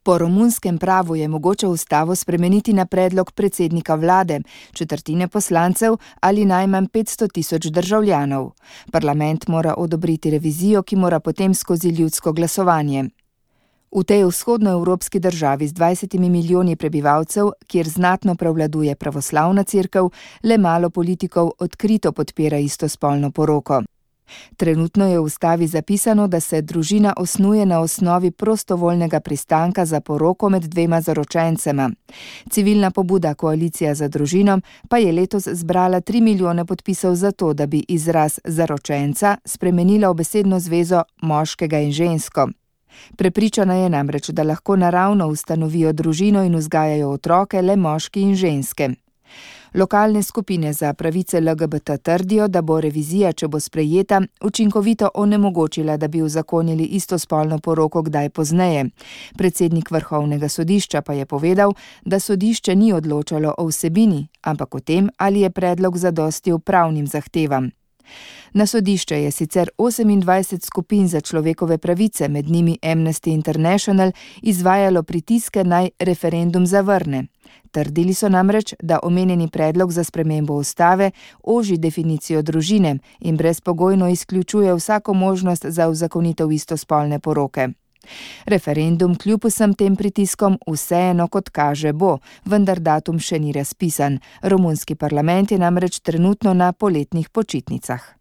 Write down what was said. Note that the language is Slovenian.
Po romunskem pravu je mogoče ustavo spremeniti na predlog predsednika vlade, četrtine poslancev ali najmanj 500.000 državljanov. Parlament mora odobriti revizijo, ki mora potem skozi ljudsko glasovanje. V tej vzhodnoevropski državi z 20 milijoni prebivalcev, kjer znatno prevladuje pravoslavna cerkev, le malo politikov odkrito podpira istospolno poroko. Trenutno je v ustavi zapisano, da se družina osnuje na osnovi prostovoljnega pristanka za poroko med dvema zaročencema. Civilna pobuda Koalicija za družino pa je letos zbrala 3 milijone podpisov za to, da bi izraz zaročenca spremenila v besedno zvezo moškega in žensko. Prepričana je namreč, da lahko naravno ustanovijo družino in vzgajajo otroke le moški in ženske. Lokalne skupine za pravice LGBT trdijo, da bo revizija, če bo sprejeta, učinkovito onemogočila, da bi uzakonili istospolno poroko kdaj pozneje. Predsednik Vrhovnega sodišča pa je povedal, da sodišče ni odločalo o vsebini, ampak o tem, ali je predlog zadostil pravnim zahtevam. Na sodišče je sicer 28 skupin za človekove pravice, med njimi Amnesty International, izvajalo pritiske naj referendum zavrne. Trdili so namreč, da omenjeni predlog za spremembo ustave oži definicijo družine in brezpogojno izključuje vsako možnost za uzakonitev istospolne poroke. Referendum kljub vsem tem pritiskom vseeno kot kaže bo, vendar datum še ni razpisan. Romunski parlament je namreč trenutno na poletnih počitnicah.